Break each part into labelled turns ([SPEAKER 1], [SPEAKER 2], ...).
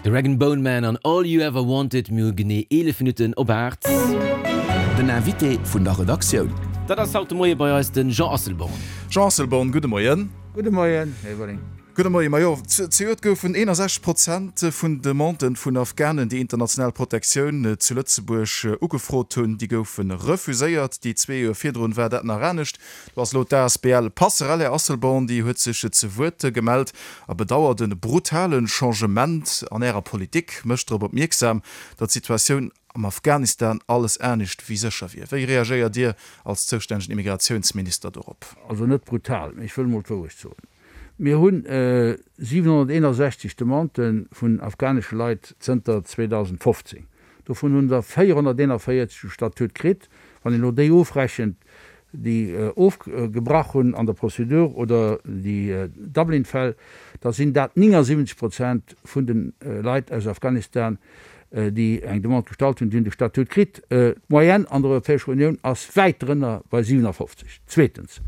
[SPEAKER 1] De Rag'n'Bone Man an All You Ever Wanted. Mir hu genee 11 Minutten op 8.
[SPEAKER 2] Den Invité vun der Redaktioun.
[SPEAKER 1] Dat ass haut de Moie bei eis de Jean Asselborn.
[SPEAKER 3] Jean Asselborn, gudde Moien.
[SPEAKER 4] Gudde Moien, Här Everling.
[SPEAKER 3] Gudde Moien. Majo, zejoert goufen 61 Prozent vun Demanden vun Afghanen, déi international Protektioun zu Lëtzebuerg ugefrot hunn, déi goufe refuséiert. Déi zwee Joer virdrun war dat nach anescht. Do ass elo d'ASBL Passerell, Här Asselborn, déi huet sech ze Wuert gemellt a bedauert e brutale Changement an Ärer Politik, mécht drop opmierksam, datt d'Situatioun am Afghanistan alles anescht wéi sécher wier. Wéi reagéiert Dir als zoustännegen Immigratiounsminister dorop?
[SPEAKER 4] Also net brutal, mee ech wëll emol d'Wourecht soen. Mir hunn 761 Demandë vun afghanesche Leit zënter 2015. Dovun hunn der 441 de Statut kritt. Wann een elo déi ofrechent, déi ofgebrach hunn an der Prozedur oder déi Dublin-Fäll, da sinn dat 79 Prozent vun de Leit aus Afghanistan, déi eng Demande gestallt hunn, déi hunn de Statut kritt. D'Moyenne an der Europäescher Unioun ass wäit drënner bei 57. Zweetens,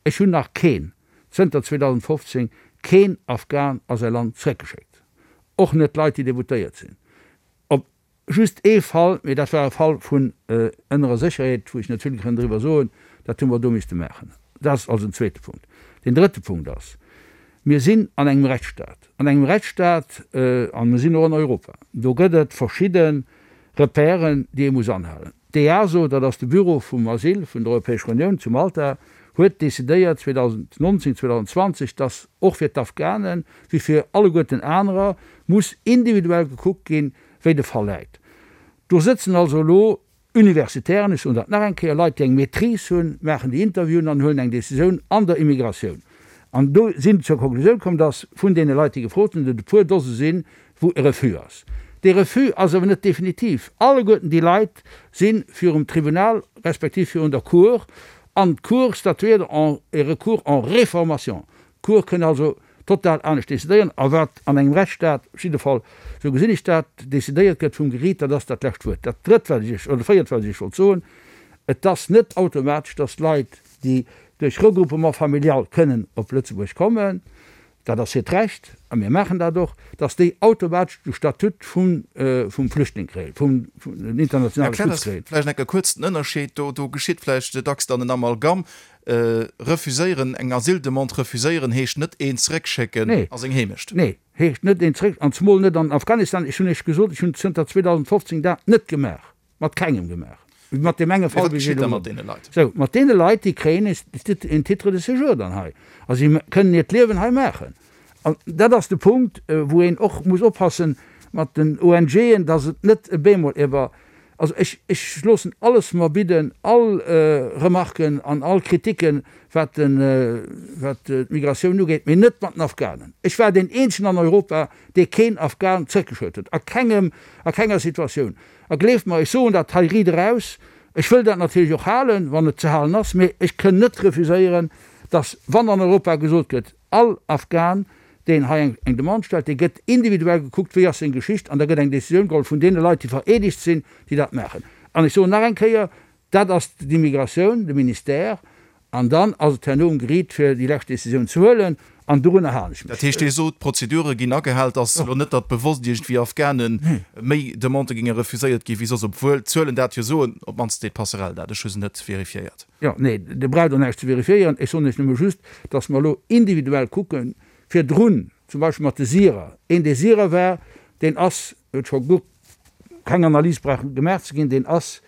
[SPEAKER 4] ech hunn nach keen zënter 2015 keen Afghan a säi Land zréckgeschéckt, och net Leit, déi deboutéiert sinn. Op just ee Fall, mee dat war e Fall vun ënnerer Sécherheet, wou ech net vill kënn driwwer soen, dat hu mer do misste maachen. Dat ass also den zweete Punkt. Deen drëtte Punkt ass, Mir sinn an engem Rechtsstaat. An engem Rechtsstaat, a mir sinn och an Europa, do gëtt et verschidde Repèren, déi ee muss anhalen. D'EASO, dat ass de Büro vum Asyl vun der Europäescher Unioun zu Malta, huet decidéiert 2019, 2020, datt och fir d'Afghanen, wéi fir alleguerten anerer, muss individuell gekuckt ginn, wéi de Fall läit. Do sëtzen also elo Universitären, ech soen dat nach eng Kéier, Leit, déi eng Maîtrise hunn, maachen déi Interviewen an huelen eng Decisioun an der Immigratioun. An do sinn zur Konklusioun komm, datt vun deene Leit, déi gefrot hunn, et e puer Dose sinn, wou e Refus ass. Dee Refus ass awer net definitiv. Alleguerten déi Leit si virum Tribunal respektiv virun der Cour an d'Cour statuiert en e Recours en réformation. D'Cour kënn also total anescht decidéieren. A wat an engem Rechtsstaat, op jidde Fall, esou gesinn ech dat, decidéiert gëtt vum Geriit, dat ass dat lescht Wuert. Dat Drëtt, wat ech Iech, oder Véiert, wat ech Iech wollt soen, Et ass net automatesch, dass Leit, déi duerch Regroupement familial kënnen op Lëtzebuerg kommen, dat ass hiert Recht, a mir maachen dat och, dass déi automatesch de Statut vum Flüchtling kréien, vum internationale
[SPEAKER 3] Erklär
[SPEAKER 4] Schutz
[SPEAKER 3] eis
[SPEAKER 4] kréien.
[SPEAKER 3] vläicht eng Kéier kuerz den Ënnerscheed. Do, do geschitt vläicht dacks dann en Amalgam. Refuséieren, eng Asyldemande refuséieren heescht net een zeréckschécken
[SPEAKER 4] Nee.
[SPEAKER 3] a seng Heemecht.
[SPEAKER 4] Nee, heescht net een zeréck, an zemol net an Afghanistan. Ech hunn Iech gesot, ech hunn zënter 2015 dat net gemaach. Mat kengem gemaach. Mat deem enge
[SPEAKER 3] Mee
[SPEAKER 4] Fall,
[SPEAKER 3] wat
[SPEAKER 4] wéi ech
[SPEAKER 3] geschitt da
[SPEAKER 4] elo
[SPEAKER 3] mat deene Leit?
[SPEAKER 4] Sou, mat deene Leit, déi kréien en Titre de séjour dann hei a si kënnen hiert Liewen hei maachen. An dat ass de Punkt, wou een och muss oppassen mat den ONGen, dass et net e bemol iwwer, also ech, ech loossen alles mer bidden, all Remarken an all Kritiken, wat de, wat d'Migratioun ugeet, mee net mat den Afghanen. Ech war deen eenzegen an Europa, dee keen Afghan zréckgeschéckt huet, a kengem, a kenger Situatioun. A gleeft mer, ech soen dat hei riit eraus, ech wëll dat natierlech och halen, wann et ze halen ass, mee ech kënn net refuséieren, dass, wann an Europa gesot gëtt, all Afghan, deen hei eng Demande stellt, dee gëtt individuell gekuckt, wéi ass seng Geschicht, an da gëtt eng Décisioun geholl vun deene Leit, déi vereedegt sinn, déi dat maachen. An ech soen nach eng Kéier, Dat ass d'Immigratioun, de Ministère, an dann ass et herno um Geriit, fir déi lescht Décisioun ze huelen, an dorunner halen ech mech.
[SPEAKER 3] Dat heescht, Dir sot, d'Prozedure ginn agehal. Et ass elo net, datt bewosst iergendwéi Afghane méi Demandë géinge refuséiert gi wéi soss, obwuel d'Zuelen dat jo soen, op d'mannst seet d'Passerell dat. Ech hu se net vérifiéiert.
[SPEAKER 4] Jo, nee, Dir braucht och näischt ze vérifiéieren. Ech soen lech nëmme just, datt mer elo individuell kucken, virdrun zum Beispill mat de Syrer, een dee Syrer war, deen ass, huet scho guer keng Analys brauch gemaach ze ginn, deen ass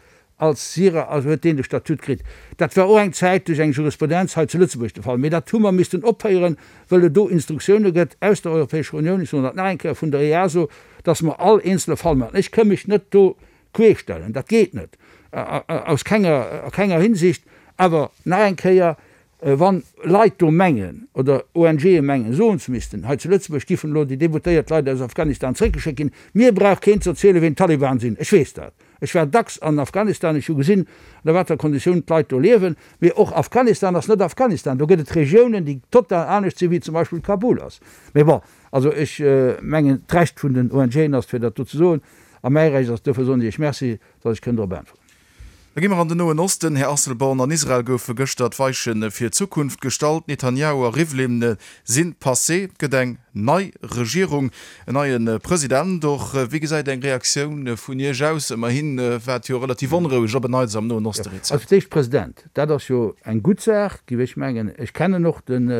[SPEAKER 4] als Syrer, also huet deen de Statut kritt. Dat war och eng Zäit duerch eng Jurisprudenz hei zu Lëtzebuerg de Fall, mee dat hu mer missten ophéieren, wëll et do Instruktioune gëtt aus der Europäescher Unioun, ech soen dat nach eng Kéier, vun der EASO, dass mer all eenzele Fall maachen. Ech kënn mech net do queerstellen, dat geet net, aus kenger, a kenger Hinsicht. Awer nach eng Kéier, Wann Leit do mengen, oder ONGe mengen, soen ze missten, hei zu Lëtzebuerg giffen elo déi deboutéiert Leit aus Afghanistan zréckgeschéckt ginn, mir brauch keen ze erzielen, ween d'Taliban sinn. Ech weess dat. Ech war dacks an Afghanistan, ech hu gesinn, ënner wat fir Konditiounen d'Leit do liewen. Mee och Afghanistan ass net Afghanistan. Do gëtt et Regiounen, déi total anescht sinn, wéi zum Beispill Kabul ass. Mee bon, also ech mengen, d'Recht vun den ONGen ass, fir dat do ze soen, a mäi Recht ass, duerfir soen ech Iech Merci, datt ech kënn drop äntweren.
[SPEAKER 3] Da gi mer an den Noen Osten, Här Asselborn. An Israel goufe gëschter d'Weiche fir d'Zukunft gestallt. Netanyahu a Rivlin si passé. Et gëtt eng nei Regierung, en neie President och. Wéi gesäit eng Reaktioun vun Iech aus? Ëmmerhi war et jo relativ onroueg op en Neits am Noen Oste
[SPEAKER 4] rezent. Also fir d'éischt, President, dat ass jo eng gutt Saach, géif ech mengen. Ech kennen och den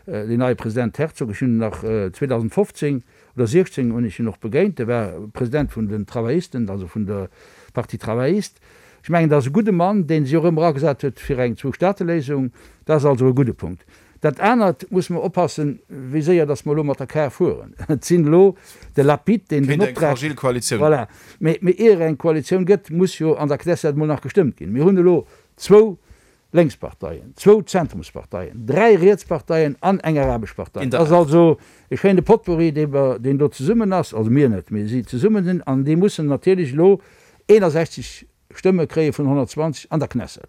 [SPEAKER 4] neie President Herzog. Ech hunn en nach 2015 oder 16 hunn ech hien och begéint, e war President vun den Travaillisten, also vun der Parti Travailliste. Ech mengen, dat ass e gudde Mann, dee sech och ëmmer agesat huet fir eng Zwou-Staate-Léisung. Dat ass also e gudde Punkt. Dat anert, musse mer oppassen, wéi séier datt mer elo mat der Kar fueren. Et sinn elo de Lapid, deen den
[SPEAKER 3] Kéint eng Optrag. fragil Koalitioun.
[SPEAKER 4] Voilà. Mee, mee ier eng Koalitioun gëtt, muss jo an der Knesset emol nach gestëmmt ginn. Mir hunn elo zwou Lénksparteien, zwou Zentrumsparteien, dräi Rietsparteien an eng arabesch Partei. Dat ass also e schéine Potpourri, dee mer, deen do zesummen ass, also mir net, mee si zesummen sinn, an déi mussen natierlech elo 61 Stëmme kréie vun 120 an der Knesset.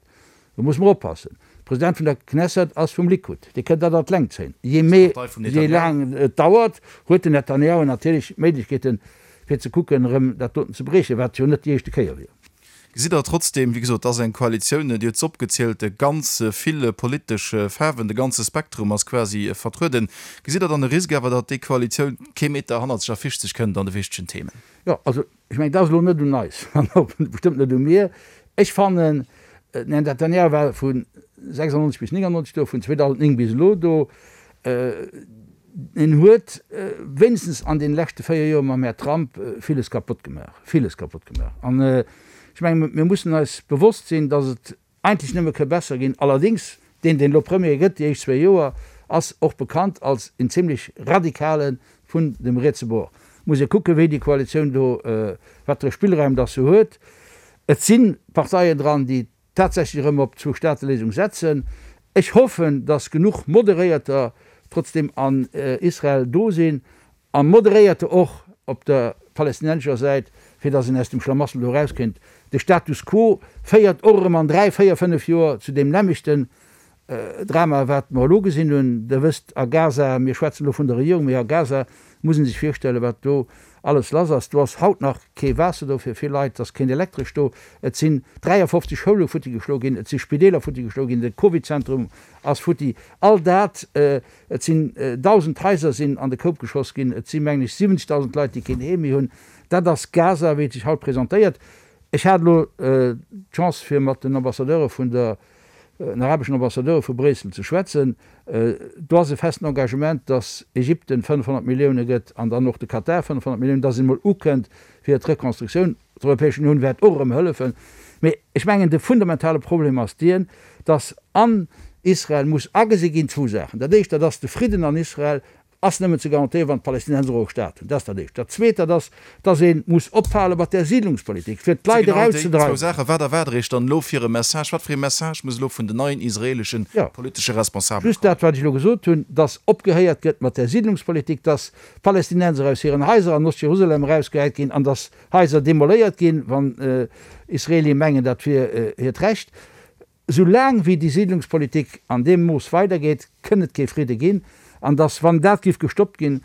[SPEAKER 4] Do musse mer oppassen. De President vun der Knesset ass vum Likud, dee kënnt dat an d'Längt zéien. Jee méi, jee laang et dauert, huet den Netanjahu natierlech d'Méiglechkeeten, fir ze kucken, erëm dat doten ze briechen, wat jo net déi éischte Kéier wier.
[SPEAKER 3] Gesitt Der trotzdem, wéi gesot, et ass eng Koalitioun, Dir huet se opgezielt, ganz vill politesch Faarwen, de ganze Spektrum ass quasi vertrueden. Gesitt Der dann e Risk awer, datt déi Koalitioun kee Meter hannerzeg a virzeg kënnt an de wichtegen Themen?
[SPEAKER 4] Jo, also ech mengen, dat ass elo net un eis an och bestëmmt net u mir. Ech fannen, den Här Netanyahu war vu 96 bis 99 do, vun 2009 bis elo do. En huet wéinstens an deene leschte 4 Joer mam Här Trump villes kapott gemaach, villes kapott gemaach. An ech menge mir mussen eis bewosst sinn, datt et eigentlech nëmme ka besser ginn. Allerdéngs, deen deen elo Premier gëtt déi éischt zwéi Joer, ass och bekannt als en zimlech radikale vun dem rietse Bord. Muss ee kucke wéi déi Koalitioun do, wat fir e Spillraum datt se huet. Et si Parteien dran, déi tatsächlech erëm op d'Zwou-Staate-Léisung setzen. Ech hoffen, datt genuch Moderéierter trotzdeem an Israel do sinn, a Moderéierter och op der palästinensescher Säit, fir datt een aus dem Schlamassel do erauskéint. De Status quo féiert och erëm an dräi, véier, fënnef Joer zu deem nämmlechten Drama, wat mer elo gesinn hunn. Der wësst, a Gaza, mir schwätzen elo vun der Regierung, mee a Gaza muss ee sech virstellen, wat do alles lass ass. Do ass haut nach kee Waasser do fir vill Leit, et ass keen Elektresch do, et sinn 53 Schoule futti geschloe ginn, et si Spideeler futti geschloe ginn, de Covid-Zentrum ass futti. All dat, et sinn 1.000 Haiser sinn an de Koup geschoss ginn, et si mengen ech 70.000 Leit, déi keen Heem méi hunn. Dat ass Gaza, wéi et sech haut presentéiert. Ech hat elo d'Chance, fir mat den Ambassadeure vun der den arabeschen Ambassadeure vu Bréissel ze schwätzen. Do ass e festen Engagement, datt Ägypten 500 Millioune gëtt an dann och de Katar 500 Milliounen, datt een emol ukënnt fir d'Rekonstruktioun. D'Europäesch Unioun wäert och erëm hëllefen. Mee ech mengen, de fundamentale Problem ass dien, datt an Israel muss agesi ginn zwou Saachen. Dat éischt, dat ass de Fridden an Israel Ass nëmmen ze garantéieren, wann d'Palästinenser och e Staat hunn. Dat ass dat Éischt. Dat Zweet, dat ass, dass ee muss ophale mat där Siedlungspolitik, fir
[SPEAKER 3] d'Leit Genau déi zwou erauszedreiwen. Saachen. Wat erwaart Der Iech dann elo fir e Message? Wat fir ee Message muss elo vun den neien israeleschen Jo, politesche Responsabele
[SPEAKER 4] just kommen? dat, wat ech elo gesot hunn, dass opgehéiert gëtt mat där Siedlungspolitik, dass d'Palästinenser aus hiren Haiser an Ost-Jerusalem erausgehäit ginn an dass Haiser demoléiert ginn, wann Israelie mengen, dat wier hiert Recht. Esou laang wéi déi Siedlungspolitik an deem Mooss weidergeet, kënn et kee Fridde ginn. An datt, wann dat giff gestoppt ginn,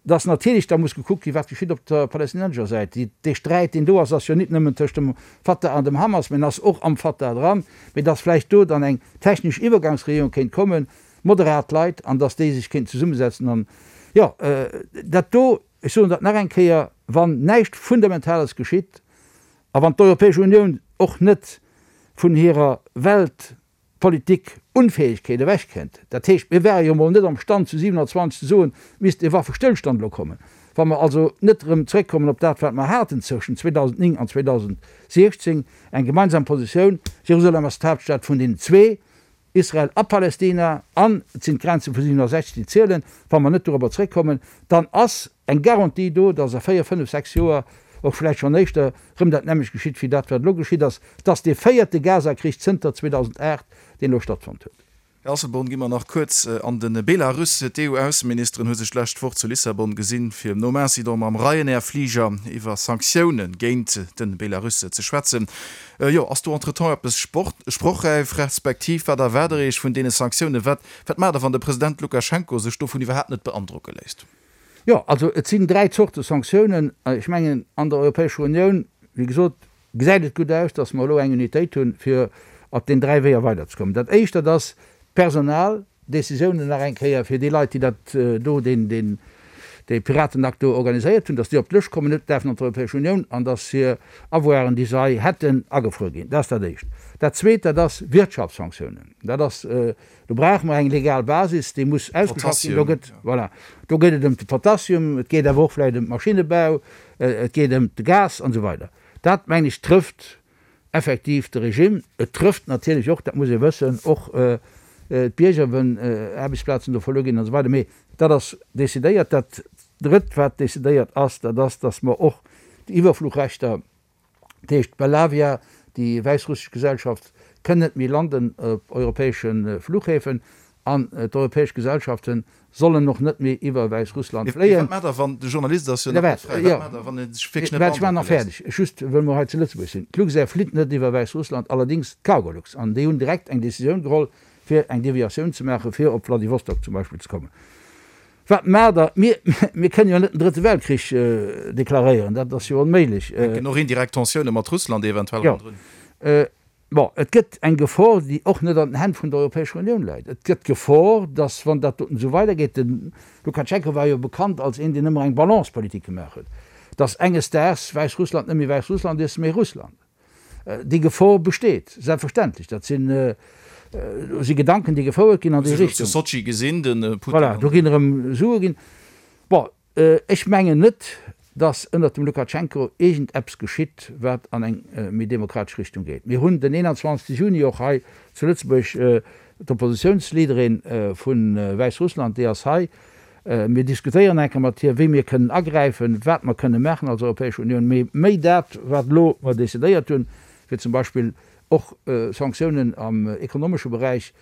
[SPEAKER 4] datt natierlech da muss gekuckt ginn, wat geschitt op der palästinensescher Säit. Dee Sträit, deen do ass, ass jo nit nëmmen tëscht dem Fatah an dem Hamas, mä en ass och am Fatah dran. Mee datt vläicht do dann eng technesch Iwwergangsregierung kéint kommen, moderat Leit, an datt déi sech kéinten zesummesetzen an, jo, dat do, ech soen dat nach eng Kéier, wann näischt Fundamentales geschitt, A wann d'Europäesch Unioun och net vun hirer Weltpolitik-Unfähegkeet ewechkennt, dat heescht, mir ware jo emol net am Stand zu 27 ze soen, et misst e Waffestëllstand elo kommen, wa mer also net erëm zréckkommen op dat, wat mer haten zwëschen 2009 an 2016, eng gemeinsam Positioun, Jerusalem ass d'Haaptstad vun deenen zwee, Israel a Palästina, an et sinn d'Grenze vu 67 déi zielen, wa mer net dorobber zréckkommen, dann ass eng Garantie do, datt a véier, fënnef, sechs Joer, och vläicht schonn éischter, erëm dat nämmlecht geschitt wéi dat wat elo geschitt ass, dass dee véierte Gaza-Krich zënter 2008, deen elo stattfonnt huet.
[SPEAKER 3] Här Asselborn, gi mer nach kuerz an de Belarus. D'EU-Ausseministeren hu sech d'lescht Woch zu Lissabon gesinn, fir nom Incident mam Ryanair-Fliger iwwer Sanktioune géint de Belarus ze schwätzen. Jo, ass do entretemps eppes sprochräif, respektiv wat erwaart Der Iech vun deene Sanktiounen? Wat, wat maacht Der, wann de President Lukaschenko sech dovun iwwerhaapt net beandrocke léisst?
[SPEAKER 4] Jo, also et sinn dräi Zorte Sanktiounen. Ech mengen, an der Europäescher Unioun, wéi gesot, Gesäit et gutt aus, dass mer elo eng Unitéit hunn, fir op den 3 Weeër weiderzekommen. Dat Éischt, dat ass d'Personal, Décisiounen nach eng Kéier fir déi Leit, déi dat do, deen, deen, dee Piratenakt do organiséiert hunn, dass déi op d'Lëscht kommen, net däerfen an d'Europäesch Unioun an dass hir Avoiren, déi se hei hätten, agefruer ginn. Dat ass dat Éischt. Dat Zweet, dat ass Wirtschaftssanktiounen. Dat ass, do brauche mer eng legal Basis, déi muss ausgeschafft ginn. Do gëtt, voilà, do geet et ëm de Potassium, et geet awer och vläicht ëm d'Maschinnebau, et geet ëm de Gas an esou weider. Dat, mengen ech, trëfft effektiv de Regime. Et trëfft natierlech och, dat muss ee wëssen, och d'Bierger, wenn Aarbechtsplazen do verluer ginn an esou weider. Mee dat ass decidéiert. Dat Drëtt, wat decidéiert ass, dat ass, dass mer och déi Iwwerfluchrechter, dat heescht d'Belavia, déi wäissrussesch Gesellschaft, kënn net méi landen op europäesche Fluchhäfen An d'europäesch Gesellschaften sollen och net méi iwwer Wäissrussland
[SPEAKER 3] fléien. Mee wat maacht Der, wann, de Journalist ass jo nach net fräi, wat maacht Der, wann e sech wierklech net
[SPEAKER 4] beandrocke léisst? Ech maachen nach fäerdeg, just wëll mer hei zu Lëtzebuerg sinn. D'Luxair flitt net iwwer Wäissrussland, allerdéngs d'Cargolux. An déi hunn direkt eng Decisioun geholl, fir eng Deviatioun ze maachen, fir op Wladiwostok zum Beispill ze kommen. Wat maacht Der? Mir, mir kënnen jo net den Drëtte Weltkrich deklaréieren, dat ass jo onméiglech.
[SPEAKER 3] Hänken och indirekt Tensioune mat Russland eventuell
[SPEAKER 4] ronderun. Jo. Bon, et gëtt eng Gefor, déi och net an den Hänn vun der Europäescher Unioun läit. Et gëtt d'Gefor, datt, wann dat doten esou weidergeet, de Lukatschenko war jo bekannt als een, deen ëmmer eng Balancepolitik gemaach huet, datt enges Daags Wäissrussland net méi Wäissrussland is, mee Russland. Déi Gefor besteet, selbstverständlech. Dat sinn, do si Gedanken, déi gefouert ginn an déi
[SPEAKER 3] Richtung. Zu Sotschi gesinn, de
[SPEAKER 4] Putin. Voilà, do ginn erëm Sue ginn. Bon, Ech mengen net, datt ënnert dem Lukatschenko iergend eppes geschitt, wat an eng méi demokratesch Richtung geet. Mir hunn den 21 Juni och hei zu Lëtzebuerg d'Oppositiounsleaderin vu Wäissrussland, déi ass hei. Mir diskutéieren eng Kéier mat hir, wéi mir kënnen agräifen, wat mer kënne maachen als Europäesch Unioun. Mee méi dat, wat elo mer decidéiert hunn, fir zum Beispill och Sanktiounen am ekonomesche Beräich,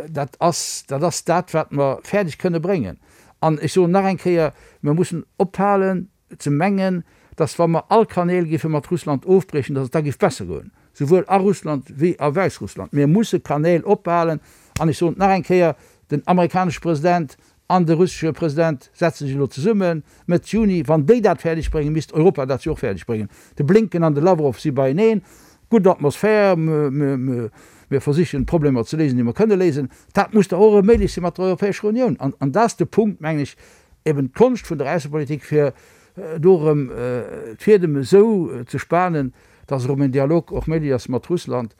[SPEAKER 4] dat ass dat, ass dat wat mer fäerdeg kënne bréngen. An ech soen nach eng Kéier, Mir mussen ophalen ze mengen, dass wa mer all Kanäl géife mat Russland ofbriechen, dass et da géif besser goen, souwuel a Russland wéi a Wäissrussland. Mir musse Kanäl ophalen. An ech soen et nach eng Kéier, Den amerikanesche President an de russesche President setze sech elo zesummen Mëtt Juni. Wann déi dat fäerdeg bréngen, misst Europa dat jo och fäerdeg bréngen. De Blinken an de Lawrow si beieneen. Gutt Atmosphär. Mir versichen, d'Problemer ze léisen, déi mer kënne léisen. Dat muss da och erëm méiglech si mat der Europäescher Unioun. An, an dat ass de Punkt, mengen ech, eben d'Konscht vun der Aussepolitik, fir do erëm d'Fiedem esou ze spanen, dass erëm en Dialog och méiglech ass mat Russland.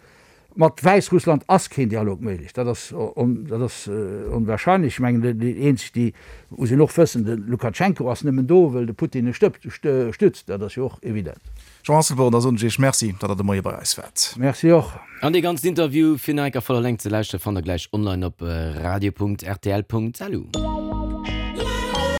[SPEAKER 4] Mat Wäissrussland ass keen Dialog méiglech, dat ass, dat ass onwahrscheinlech. Ech mengen, déi eenzeg, déi, muss een och wëssen, de Lukatschenko ass nëmmen do, wëll de Putin e stützt, dat ass jo och evident.
[SPEAKER 3] Jean Asselborn, da soen ech Iech Merci, datt Der de Moie bei eis waart.
[SPEAKER 4] Merci och.
[SPEAKER 1] An dee ganzen Interview fir nach eng Kéier voller Längt ze lauschteren, fannt der gläich online op radio.rtl.lu.